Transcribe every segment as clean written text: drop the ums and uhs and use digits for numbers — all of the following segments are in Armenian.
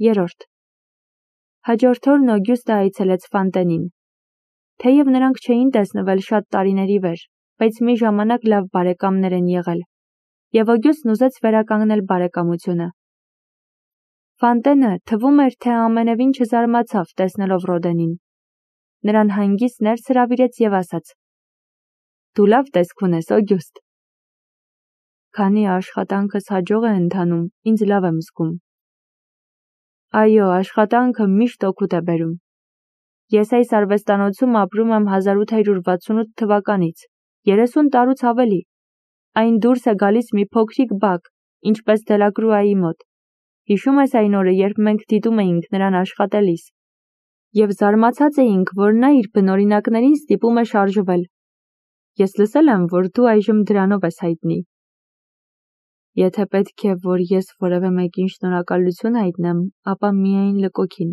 3. Հաջորդ օրն Օգյուստը այցելեց Ֆանտենին։ Թեև նրանք չէին տեսնվել շատ տարիների վեր, բայց մի ժամանակ լավ բարեկամներ են եղել, և Օգյուստն ուզեց վերականգնել բարեկամությունը։ Ֆանտենը թվում էր, թե ամենևին չզարմացավ տեսնելով Ռոդենին։ Նրան հանգիստ ներս հրավիրեց և ասաց. «Դու լավ տեսք ունես, Օգյուստ»։ Քանի աշխատանքս հաջող է ընթանում, ինձ լավ եմ զգում։ Այո, աշխատանքը միշտ օգուտ է բերում։ Ես այս արվեստանոցում ապրում եմ 1868 թվականից, 30 տարուց ավելի։ Այն դուրս է գալիս մի փոքրիկ բակ, ինչպես Դելակրուայի մոտ։ Հիշում ես այն օրը, երբ մենք դիտում էինք նրան աշխատելիս, և զարմացած էինք, որ նա իր բնօրինակներին ստիպում է շարժվել։ Ես լսել եմ, որ դու այժմ դրանով ես հայտնի։ Եթե պետք է, որ ես որևէ մեկին շնորհակալություն հայտնեմ, ապա միայն Լկոքին։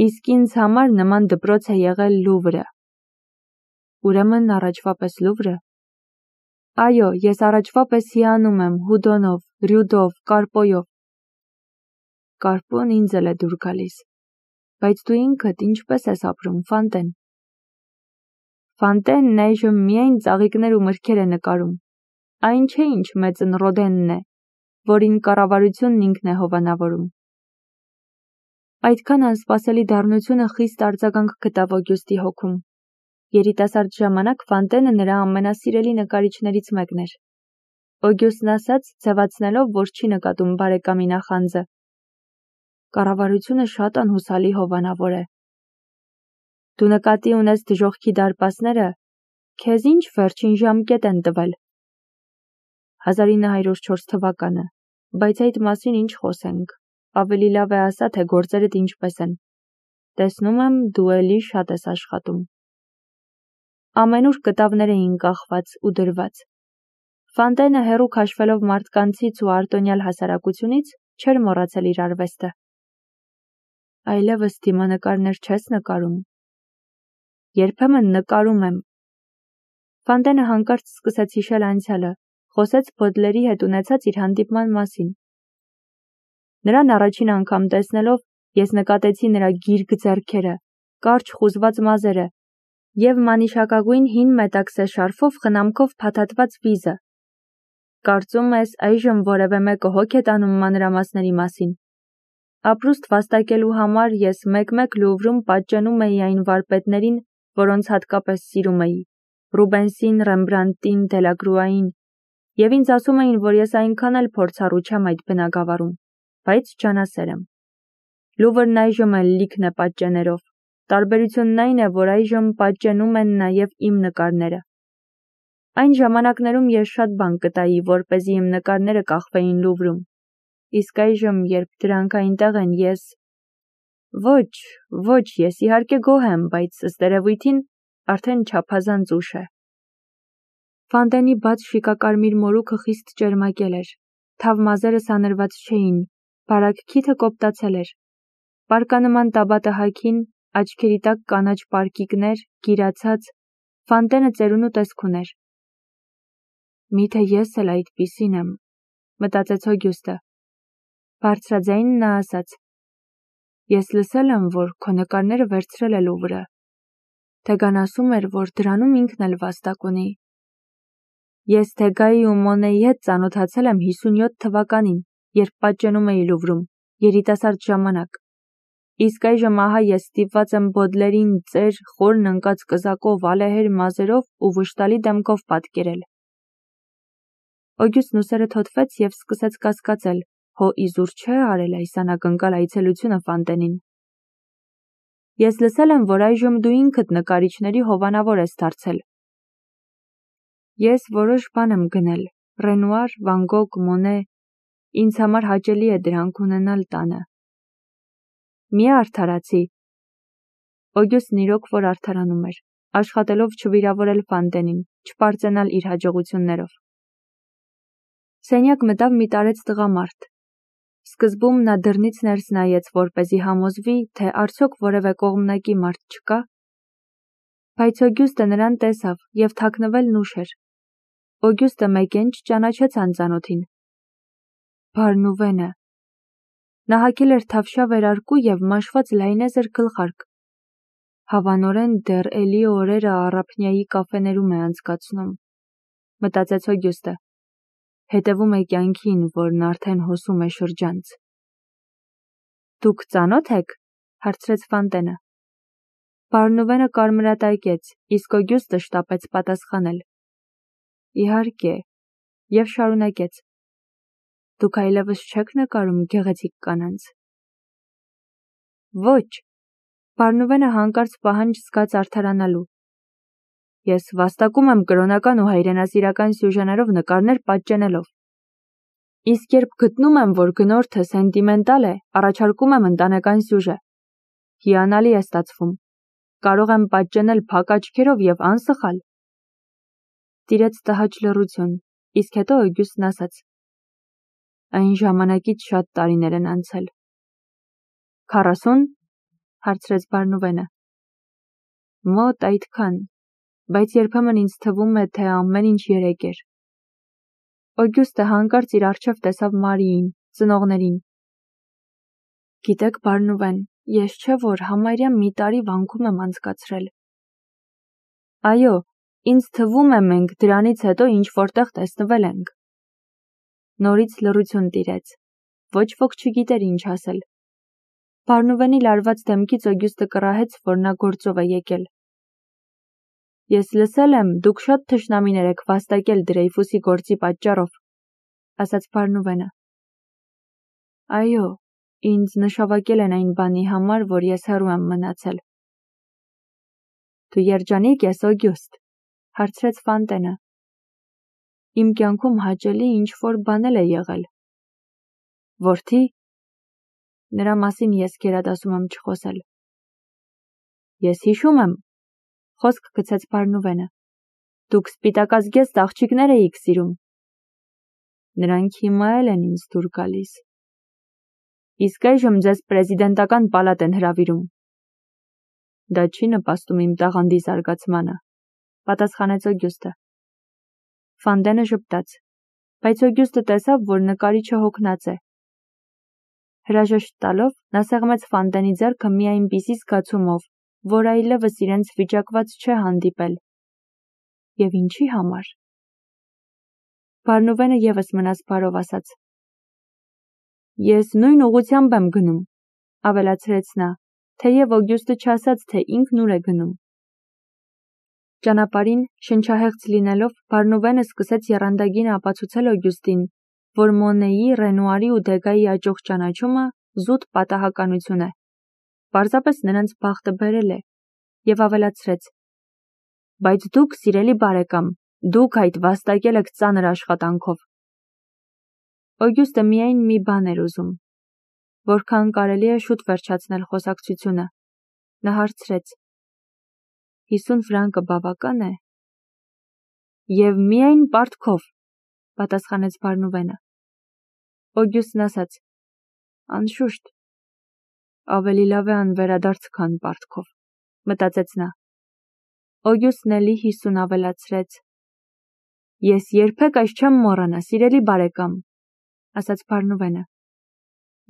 Իսկ ինձ համար նման դպրոց է եղել Լուվրը։ Ուրեմն առաջվա պես Լուվրը։ Այո, ես առաջվա պես հիանում եմ Հուդոնով, Ռյուդով, Կարպոյով։ Կարպոն ինձ էլ է դուր գալիս։ Բայց դու ինքդ ինչպես ես ապրում, Ֆանտեն։ Ֆանտենն այժմ միայն ծաղիկներ ու մրգեր է նկարում։ Այն չէ, ինչ մեծն Ռոդենն է, որին կառավարությունն ինքն է հովանավորում։ Այդքան անսպասելի դառնությունը խիստ արձագանք գտավ Օգյուստի հոգում։ Երիտասարդ ժամանակ Ֆանտենը նրա ամենասիրելի նկարիչներից մեկն էր։ Օգյուստն ասաց, ձևացնելով, որ չի նկատում բարեկամի նախանձը. Կառավարությունը շատ անհուսալի հովանավոր է։ Դու նկատի ունես դժոխքի դարպասները, քեզ ինչ վերջին ժամկետ են տվել։ 1904 թվականը, բայց այդ մասին ինչ խոսենք, ավելի լավ է ասա, թե գործերդ ինչպես են։ Տեսնում եմ, դու էլի շատ ես աշխատում։ Ամենուր կտավներ էին կախված ու դրված։ Ֆանտենը հեռու քաշվելով մարդկանցից ու արտոնյալ հասարակությունից չէր մոռացել իր արվեստը։ Այլևս դիմանկարներ չես նկարում։ Երբեմն նկարում եմ։ Ֆանտենը հանկարծ սկսեց հիշել անցյալը, խոսեց Բոդլերի հետ ունեցած իր հանդիպման մասին։ Նրան առաջին անգամ տեսնելով ես նկատեցի նրա գիրք ձեռքերը, կարճ խուզված մազերը և մանիշակագույն հին մետաքսե շարֆով խնամքով փաթաթված վիզը։ Կարծում ես այժմ որևէ մեկը հոգ է տանում մանրամասների մասին։ Ապրուստ վաստակելու համար ես մեկ-մեկ Լուվրում պատճենում էի այն վարպետներին, որոնց հատկապես սիրում էի՝ Ռուբենսին, Ռեմբրանտին, Դելակրուային, և ինձ ասում էին, որ ես այնքան էլ փորձառու չեմ այդ բնագավառում, բայց ջանասեր եմ։ Լուվրն այժմ էլ լիքն է պատճեներով։ Տարբերությունն այն է, որ այժմ պատճենում են նաև իմ նկարները։ Այն ժամանակներում ես շատ բան կտայի, որպեսզի իմ նկարները կախվեին Լուվրում։ Իսկ այժմ, երբ դրանք այնտեղ են, ես… Ոչ, ես իհարկե գոհ եմ, բայց ըստ երևույթին արդեն չափազանց ուշ է։ Ֆանտենի բաց շիկակարմիր մորուքը խիստ ճերմակել էր, թավ մազերը սանրված չէին, բարակ քիթը կոպտացել էր։ Պարկանման տաբատը հագին, աչքերի տակ կանաչ պարկիկներ, գիրացած, Ֆանտենը ծերունու տեսք ուներ։ Միթե ես էլ այդպիսին եմ, մտածեց Օգյուստը։ Բարձրաձայն նա ասաց. Ես լսել եմ, որ քո նկարները վերցրել է Լուվրը։ Թեգան ասում էր, որ դրանում ինքն էլ վաստակ ունի։ Ես Թեգայի ու Մոնեի հետ ծանոթացել եմ 57 թվականին, երբ պատճենում էի Լուվրում, երիտասարդ ժամանակ։ Իսկ այժմ ահա ես ստիպված եմ Բոդլերին ծեր, խորն ընկած կզակով, ալեհեր մազերով ու վշտալի դեմքով պատկերել։ Օգյուստն ուսերը թոթվեց և սկսեց կասկածել, հո իզուր չէ արել այս անակնկալ այցելությունը Ֆանտենին։ Ես լսել եմ, որ այժմ դու ինքդ նկարիչների հովանավոր ես դարձել։ Ես որոշ բան եմ գնել, Ռենուար, Վան Գոգ, Մոնե, ինձ համար հաճելի է դրանք ունենալ տանը։ Մի արդարացի։ Օգյուստն իրոք որ արդարանում էր, աշխատելով չվիրավորել Ֆանտենին, չպարծենալ իր հաջողություններով։ Սենյակ մտավ մի տարեց տղամարդ։ Սկզբում նա դռնից ներս նայեց, որպեսզի համոզվի, թե արդյոք որևէ կողմնակի մարդ չկա, բայց Օգյուստը նրան տեսավ և թաքնվելն ուշ էր։ Օգյուստը մեկ էլ չճանաչեց անծանոթին։ Բարնուվենը։ Նա հագել էր թավշյա վերարկու և մաշված լայնեզր գլխարկ։ Հավանորեն դեռ էլի օրերը առափնյայի կաֆեներում է անցկացնում, մտածեց Օգյուստը։ Հետևում է կյանքին, որն արդեն հոսում է շրջանց։ Դուք ծանոթ եք, հարցրեց Ֆանտենը։ Բարնուվենը կարմրատայկեց, իսկ Օգյուստը շտապեց պատասխանել։ Իհարկե, և շարունակեց. Դուք այլևս չեք նկարում գեղեցիկ կանանց։ Ոչ, Բարնուվենը հանկարծ պահանջ զգաց արդարանալու։ Ես վաստակում եմ կրոնական ու հայրենասիրական սյուժեներով նկարներ պատճենելով։ Իսկ երբ գտնում եմ, որ գնորդը սենտիմենտալ է, առաջարկում եմ ընտանեկան սյուժե։ Հիանալի է ստացվում։ Կարող եմ պատճենել փակ աչքերով և անսխալ։ Տիրեց տհաճ լռություն, իսկ հետո Օգյուստն ասաց. Այն ժամանակից շատ տարիներ են անցել։ 40? Հարցրեց Բարնուվենը։ Մոտ այդքան, բայց երբեմն ինձ թվում է, թե ամեն ինչ երեկ էր։ Օգյուստը հանկարծ իր առջև տեսավ Մարիին, ծնողներին։ Գիտեք, Բարնուվեն, ես չէ որ համարյա մի տարի վանքում եմ անցկացրել։ Այո, ինձ թվում է մենք դրանից հետո ինչ-որտեղ տեսնվել ենք։ Նորից լռություն տիրեց։ Ոչ ոք չգիտեր ինչ ասել։ Բարնուվենի լարված դեմքից Օգյուստը կռահեց, որ նա գործով է եկել։ Ես լսել եմ, դուք շատ թշնամիներ եք վաստակել Դրեյֆուսի գործի պատճառով, ասաց Բարնուվենը։ Այո, ինձ նշավակել են այն բանի համար, որ ես հեռու եմ մնացել։ Դու երջանիկ ես, Օգյուստ, հարցրեց Ֆանտենը։ Իմ կյանքում հաճելի ինչ-որ բան է եղել։ Որդի, նրա մասին ես գերադասում եմ չխոսել։ Ես հիշում եմ, խոսք գցեց Բարնուվենը։ Դուք սպիտակազգեստ աղջիկներ էիք սիրում։ Նրանք հիմա էլ են ինձ դուր գալիս։ Իսկ այժմ ձեզ պրեզիդենտական պալատ են հրավիրում։ Դա չի նպաստում իմ տաղանդի զարգացմանը, պատասխանեց Օգյուստը։ Ֆանդենը ժպտաց, բայց Օգյուստը տեսավ, որ նկարիչը հոգնած է։ Հրաժեշտ տալով, նա սեղմեց Ֆանդենի ձեռքը մի այնպիսի զգացումով, որ այլևս իրենց վիճակված չէ հանդիպել։ Եվ ինչի համար։ Բարնուվենը ևս մնաց բարով ասաց. Ես նույն ուղղությամբ եմ գնում, ավելացրեց նա, թեև Օգյուստը չասաց, թե ինքն ուր է գնում։ Ճանապարհին, շնչահեղձ լինելով, Բարնուվենը սկսեց եռանդագին ապացուցել Օգյուստին, որ Մոնեի, Ռենուարի ու Դեգայի աճող ճանաչումը զուտ պատահականություն է։ Պարզապես նրանց բախտը բերել է, և ավելացրեց. Բայց դուք, սիրելի բարեկամ, դուք այդ վաստակել եք ծանր աշխատանքով։ Օգյուստը միայն մի բան էր ուզում, որքան կարելի է շուտ վերջացնել խոսակցությունը։ Նա հարցրեց. 50 ֆրանկը բավական է։ Եվ միայն պարտքով, պատասխանեց Բարնուվենը։ Օգյուստն ասաց. Անշուշտ, ավելի լավ է անվերադարձ, քան պարտքով, մտածեց նա։ Օգյուստն էլի 50 ավելացրեց։ Ես երբեք այս չեմ մոռանա, սիրելի բարեկամ, ասաց Բարնուվենը։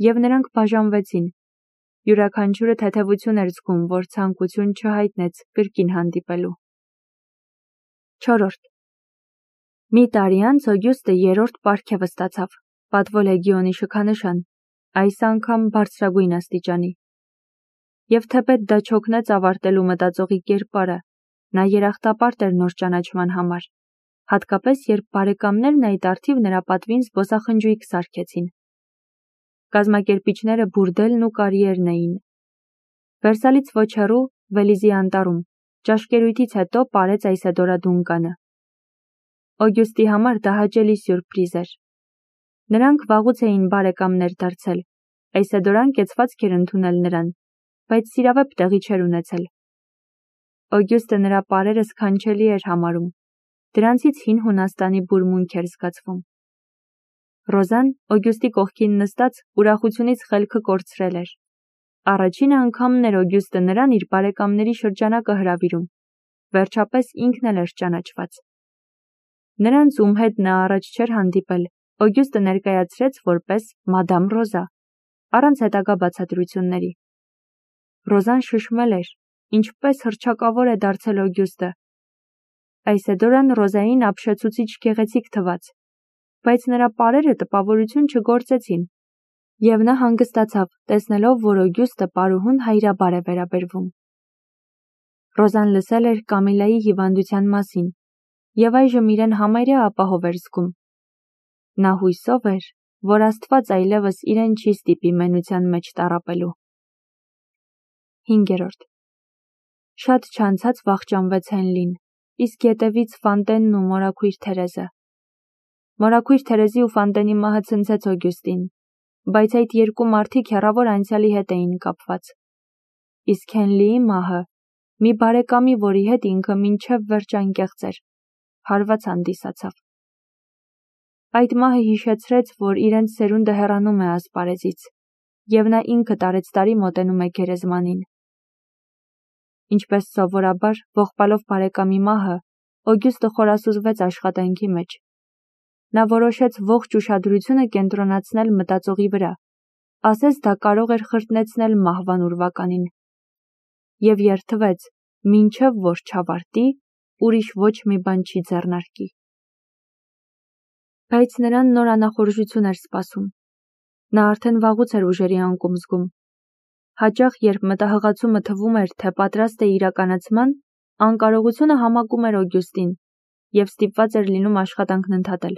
Եվ նրանք բաժանվեցին։ Յուրաքանչյուրը թեթևություն էր զգում, որ ցանկություն չհայտնեց կրկին հանդիպելու։ 4. Մի տարի անց Օգյուստը երրորդ պարգևը ստացավ, պատվո լեգիոնի շքանշան, այս անգամ բարձրագույն աստիճանի։ Եվ թեպետ դա չօգնեց ավարտելու մտածողի կերպարը, նա երախտապարտ էր նոր ճանաչման համար, հատկապես երբ բարեկամներն այդ առթիվ նրա պատվին զբոսախնջույք սարքեցին։ Կազմակերպիչները Բուրդելն ու Կարիերն էին։ Վերսալից ոչ հեռու, Վելիզի անտառում, ճաշկերույթից հետո պարեց Այսեդորա Դունկանը։ Օգյուստի համար դա հաճելի սյուրպրիզ էր։ Նրանք վաղուց էին բարեկամներ դարձել, Այսեդորան կեցվածք էր ընդունել նրան, բայց սիրավեպ տեղի չէր ունեցել։ Օգյուստը նրա պարերը սքանչելի էր համարում, դրանցից հին Հունաստանի բուրմունք էր զգացվում։ Ռոզան, Օգյուստի կողքին նստած, ուրախությունից խելքը կորցրել էր։ Առաջին անգամն էր Օգյուստը նրան իր բարեկամների շրջանակը հրավիրում։ Վերջապես ինքն էլ էր ճանաչված։ Նրանց, ում հետ նա առաջ չէր հանդիպել, Օգյուստը ներկայացրեց որպես Մադամ Ռոզա, առանց հետագա բացատրությունների։ Ռոզան շշմել էր, ինչպես հռչակավոր է դարձել Օգյուստը։ Այսեդորան Ռոզային ապշեցուցիչ գեղեցիկ թվաց, բայց նրա պարերը տպավորություն չգործեցին, և նա հանգստացավ, տեսնելով, որ Օգյուստը պարուհուն հայրաբար է վերաբերվում։ Ռոզան լսել էր Կամիլայի հիվանդության մասին, և այժմ իրեն համարյա ապահով էր զգում։ Նա հույսով էր, որ Աստված այլևս իրեն չի ստիպի մենության մեջ տառապելու։ 5. Շատ չանցած վախճանվեց Հենլին, իսկ ետևից Ֆանտենն ու մորաքույր Թերեզը։ Մորաքույր Թերեզի ու Ֆանտենի մահը ցնցեց Օգյուստին, բայց այդ երկու մարդիկ հեռավոր անցյալի հետ էին կապված։ Իսկ Հենլիի մահը մի բարեկամի, որի հետ ինքը մինչև վերջ անկեղծ էր, հարված հանդիսացավ։ Այդ մահը հիշեցրեց, որ իրենց սերունդը հեռանում է ասպարեզից, և նա ինքը տարեցտարի մոտենում է գերեզմանին։ Ինչպես սովորաբար, ողբալով բարեկամի մահը, Օգյուստը խորասուզվեց աշխատանքի մեջ։ Նա որոշեց ողջ ուշադրությունը կենտրոնացնել մտածողի վրա, ասես դա կարող էր խրտնեցնել մահվան ուրվականին, և երդվեց, մինչև որ չավարտի, ուրիշ ոչ մի բան չի ձեռնարկի։ Բայց նրան նոր անախորժություն էր սպասում։ Նա արդեն վաղուց էր ուժերի անկում զգում։ Հաճախ, երբ մտահղացումը թվում էր, թե պատրաստ է իրականացման, անկարողությունը համակում էր Օգյուստին, և ստիպված էր լինում աշխատանքն ընդհատել։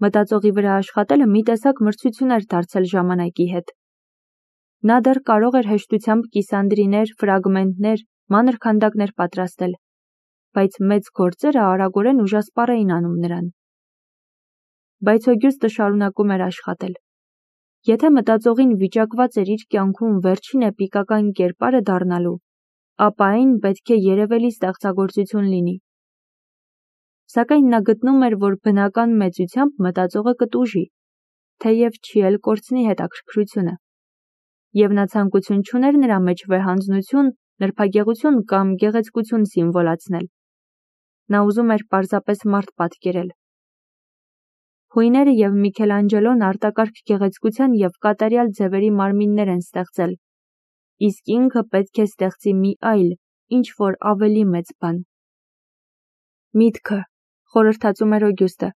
Մտածողի վրա աշխատելը մի տեսակ մրցություն էր դարձել ժամանակի հետ։ Նա դեռ կարող էր հեշտությամբ կիսանդրիներ, ֆրագմենտներ, մանր քանդակներ պատրաստել, բայց մեծ գործերը արագորեն ուժասպառ էին անում նրան։ Բայց Օգյուստը շարունակում էր աշխատել։ Եթե մտածողին վիճակված էր իր կյանքում վերջին էպիկական կերպարը դառնալու, ապա այն պետք է երևելի ստեղծագործություն լինի։ Սակայն նա գտնում էր, որ բնական մեծությամբ մտածողը կտուժի, թեև չի էլ կորցնի հետաքրքրությունը, և նա ցանկություն չուներ նրա մեջ վեհանձնություն, նրբագեղություն կամ գեղեցկություն սիմվոլացնել։ Նա ուզում էր պարզապես մարդ պատկերել։ Հույները և Միքելանջելոն արտակարգ գեղեցկության և կատարյալ ձևերի մարմիններ են ստեղծել, իսկ ինքը պետք է ստեղծի մի այլ, ինչ-որ ավելի մեծ բան։ Միտքը, խորհրդածում էր Օգյուստը,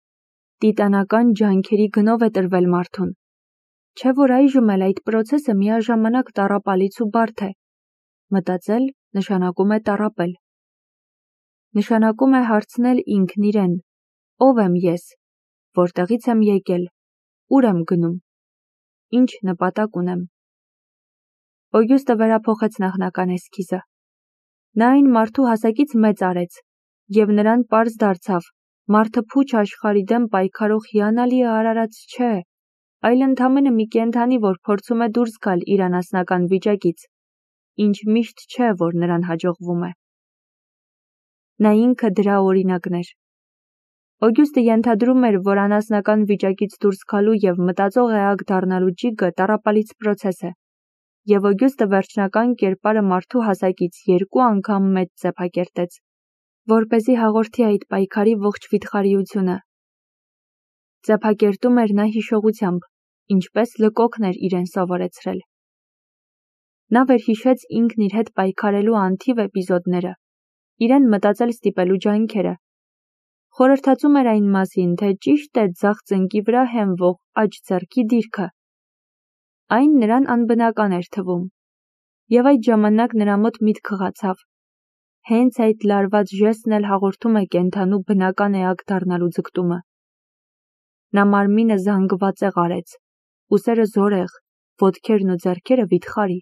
տիտանական ջանքերի գնով է տրվել մարդուն, չէ՞ որ այժմ էլ այդ պրոցեսը միաժամանակ տառապալից ու բարդ է։ Մտածել նշանակում է տառապել։ Նշանակում է հարցնել ինքն իրեն. ով եմ ես, որտեղից եմ եկել, ուր եմ գնում, ինչ նպատակ ունեմ։ Օգյուստը վերափոխեց նախնական էսքիզը։ Նա այն մարդու հասակից մեծ արեց, և նրան պարզ դարձավ, մարդը փուչ աշխարհի դեմ պայքարող հիանալի արարած չէ, այլ ընդամենը մի կենդանի, որ փորձում է դուրս գալ իր անասնական վիճակից, ինչ միշտ չէ, որ նրան հաջողվում է։ Նա ինքը դրա օրինակն էր։ Օգյուստը ենթադրում էր, որ անասնական վիճակից դուրս գալու և մտածող էակ դառնալու ջիգը տառապալից պրոցես է, և Օգյուստը վերջնական կերպարը մարդու հասակից 2 անգամ մեծ ձեփակերտեց, որպեսզի հաղորդի այդ պայքարի ողջ վիթխարիությունը։ Ձեփակերտում էր նա հիշողությամբ, ինչպես Լկոկն էր իրեն սովորեցրել։ Նա վերհիշեց ինքն իր հետ պայքարելու անթիվ էպիզոդները, իրեն մտածել ստիպելու ջանքերը։ Խորհրդածում էր այն մասին, թե ճիշտ է ձախ ծնկի վրա հենվող աջ ձեռքի դիրքը։ Այն նրան անբնական էր թվում, և այդ ժամանակ նրա մոտ միտք խղացավ. հենց այդ լարված ժեստն էլ հաղորդում է կենդանու բնական էակ դառնալու ձգտումը։ Նա մարմինը զանգվածեղ արեց, ուսերը զորեղ, ոտքերն ու ձեռքերը վիթխարի։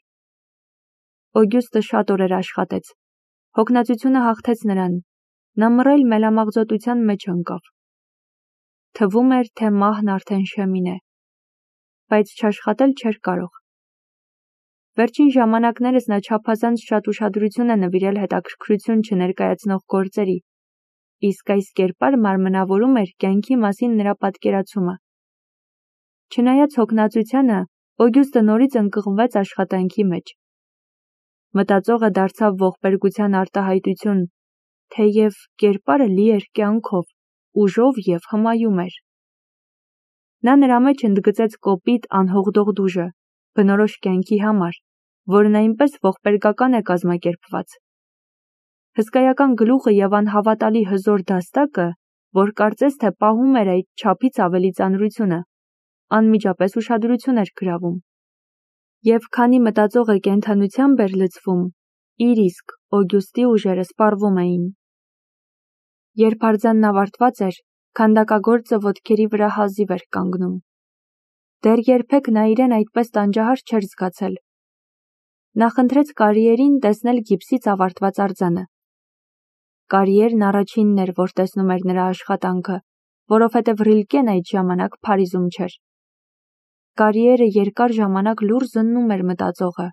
Օգյուստը շատ օրեր աշխատեց։ Հոգնածությունը հաղթեց նրան։ Նա մռայլ մելամաղձոտության մեջ ընկավ։ Թվում էր, թե մահն արդեն շեմին է, բայց չաշխատել չէր կարող։ Վերջին ժամանակներս նա չափազանց շատ ուշադրություն է նվիրել հետաքրքրություն չներկայացնող գործերի, իսկ այս կերպարը մարմնավորում էր կյանքի մասին նրա պատկերացումը։ Չնայած հոգնածությանը, Օգյուստը նորից ընկղմվեց աշխատանքի մեջ։ Մտածողը դարձավ ողբերգության արտահայտություն, թեև կերպարը լի էր կյանքով, ուժով և հմայում էր։ Նա նրա մեջ ընդգծեց կոպիտ անհողդող դուժը, բնորոշ կյանքի համար, որն այնպես ողբերգական է կազմակերպված։ Հսկայական գլուխը և անհավատալի հզոր դաստակը, որ կարծես թե պահում էր այդ չափից ավելի ծանրությունը, անմիջապես ուշադրություն էր գրավում։ Եվ քանի մտածողը կենդանությամբ էր լցվում, իր իսկ Օգյուստի ուժերը սպառվում էին։ Երբ արձանն ավարտված էր, քանդակագործը ոտքերի վրա հազիվ էր կանգնում։ Դեռ երբեք նա իրեն այդպես տանջահար չէր զգացել։ Նա խնդրեց Կարիերին տեսնել գիպսից ավարտված արձանը։ Կարիերն առաջինն էր, որ տեսնում էր նրա աշխատանքը, որովհետև Ռիլկեն այդ ժամանակ Փարիզում չէր։ Կարիերը երկար ժամանակ լուռ զննում էր մտածողը,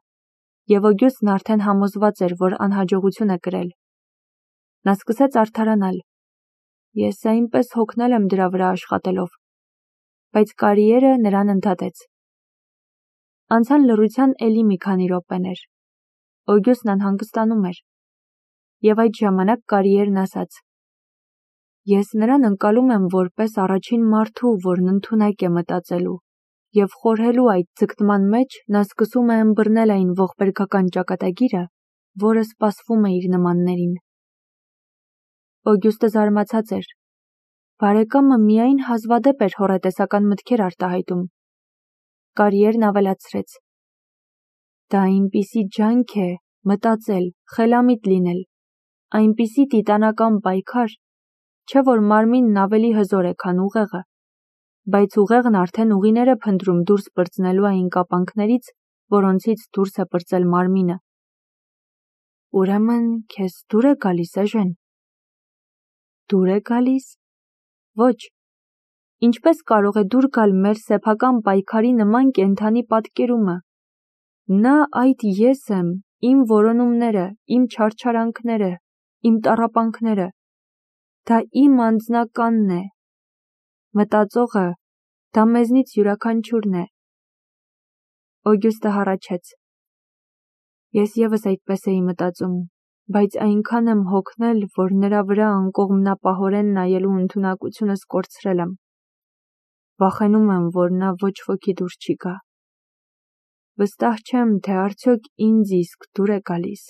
և Օգյուստն արդեն համոզված էր, որ անհաջողություն է կրել։ Նա սկսեց արդարանալ. «Ես այնպես հոգնել եմ դրա վրա աշխատելով», բայց Կարիերը նրան ընդհատեց։ Անցան լռության էլի մի քանի րոպեներ։ Օգյուստն անհանգստանում էր։ Եվ այդ ժամանակ Կարիերն ասաց. «Ես նրան ընկալում եմ որպես առաջին մարդու, որն ընդունակ է մտածելու, և խորհելու այդ ձգտման մեջ նա սկսում է ըմբռնել այն ողբերգական ճակատագիրը, որը սպասվում է իր նմաններին»։ Օգյուստը զարմացած էր։ Բարեկամը միայն հազվադեպ էր հոռետեսական մտքեր արտահայտում։ Կարիերն ավելացրեց. «Դա այնպիսի ջանք է մտածել, խելամիտ լինել, այնպիսի տիտանական պայքար, չէ՞ որ մարմինն ավելի հզոր է, քան ուղեղը, բայց ուղեղն արդեն ուղիներ է փնտրում դուրս պրծնելու այն կապանքներից, որոնցից դուրս է պրծել մարմինը»։ Ուրեմն քեզ դուր է գալիս, Էժեն։ Դուր է գալիս։ Ոչ։ Ինչպես կարող է դուր գալ մեր սեփական պայքարի նման կենդանի պատկերումը։ Նա այդ ես եմ, իմ որոնումները, իմ չարչարանքները, իմ տառապանքները։ Դա իմ անձնականն է։ Մտածողը, դա մեզնից յուրաքանչյուրն է։ Օգյուստը հառաչեց. Ես ևս այդպես էի մտածում, բայց այնքան եմ հոգնել, որ նրա վրա անկողմնապահորեն նայելու ընդունակությունս կորցրել եմ։ Վախենում եմ, որ նա ոչ ոքի դուր չի գա։ Վստահ չեմ, թե արդյոք ինձ իսկ դուր է գալիս։